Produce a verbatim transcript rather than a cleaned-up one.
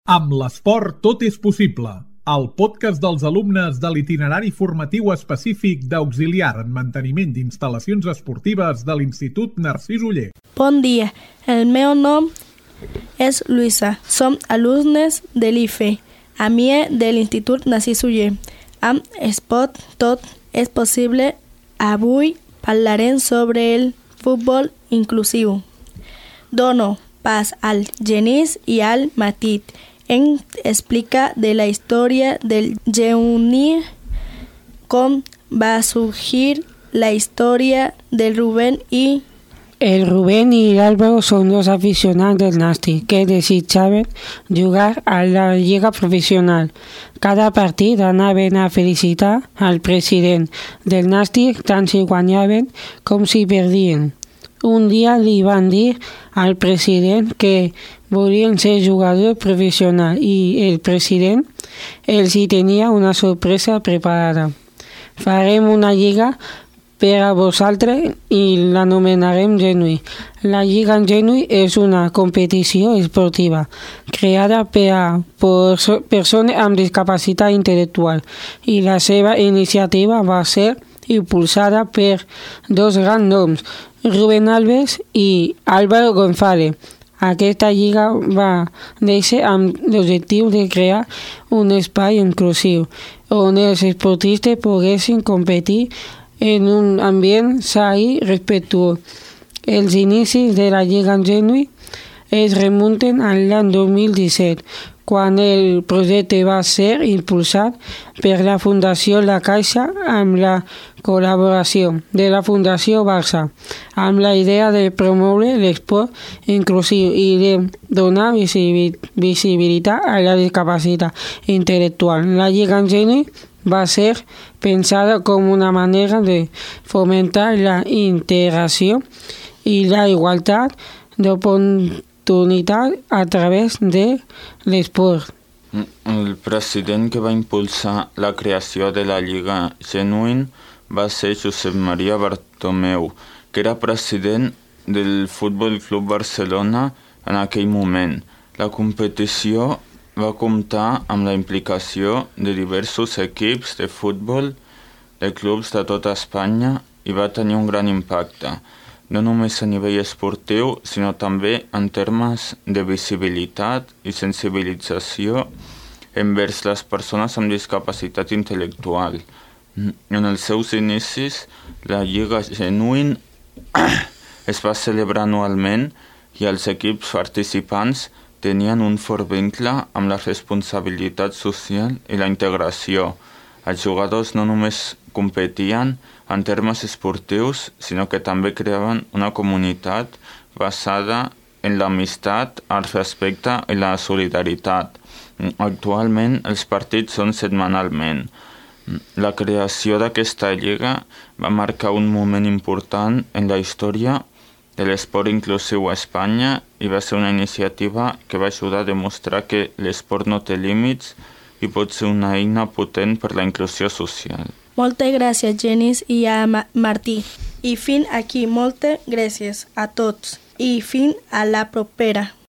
Amb l'esport tot és possible. El podcast dels alumnes de l'itinerari formatiu específic d'auxiliar en manteniment d'instal·lacions esportives de l'Institut Narcís Oller. Bon dia, el meu nom és Luisa. Som alumnes de l'I F E, a mi de l'Institut Narcís Oller. Amb Esport tot és possible. Avui parlarem sobre el futbol inclusiu. Dono pas al Genís i al Matit. Ens explica de la història del Genís, com va sorgir la història del Rubén i... El Rubén y Álvaro son dos aficionados del Nàstic que desitjaven jugar a la lliga professional. Cada partit anaven a felicitar al president del Nàstic tant si guanyaven com si perdien. Un dia li van dir al president que volien ser jugador professional i el president els hi tenia una sorpresa preparada. Farem una lliga per a vosaltres i l'anomenarem Genui. La Lliga en Genui és una competició esportiva creada per a persones amb discapacitat intel·lectual i la seva iniciativa va ser impulsada per dos grans noms, Rubén Alves i Álvaro González. Aquesta lliga va néixer amb l'objectiu de crear un espai inclusiu on els esportistes poguessin competir en un ambient sa i respectuós. Els inicis de la Lliga en Genui es remunten a l'any dos mil disset, quan el projecte va ser impulsat per la Fundació La Caixa amb la col·laboració de la Fundació Barça, amb la idea de promoure l'esport inclusiu i de donar visibilitat a la discapacitat intel·lectual. La Lliga en Genui va ser pensada com una manera de fomentar la integració i la igualtat d'oportunitat a través de l'esport. El president que va impulsar la creació de la Lliga Genuïn va ser Josep Maria Bartomeu, que era president del Futbol Club Barcelona en aquell moment. La competició va comptar amb la implicació de diversos equips de futbol de clubs de tota Espanya i va tenir un gran impacte, no només a nivell esportiu, sinó també en termes de visibilitat i sensibilització envers les persones amb discapacitat intel·lectual. En els seus inicis, la Lliga Genuïn es va celebrar anualment i els equips participants tenien un fort vincle amb la responsabilitat social i la integració. Els jugadors no només competien en termes esportius, sinó que també creaven una comunitat basada en l'amistat, el respecte i la solidaritat. Actualment, els partits són setmanalment. La creació d'aquesta lliga va marcar un moment important en la història de l'esport inclusiu a Espanya i va ser una iniciativa que va ajudar a demostrar que l'esport no té límits i pot ser una eina potent per la inclusió social. Moltes gràcies, Genís i a Martí. I fins aquí, moltes gràcies a tots i fins a la propera.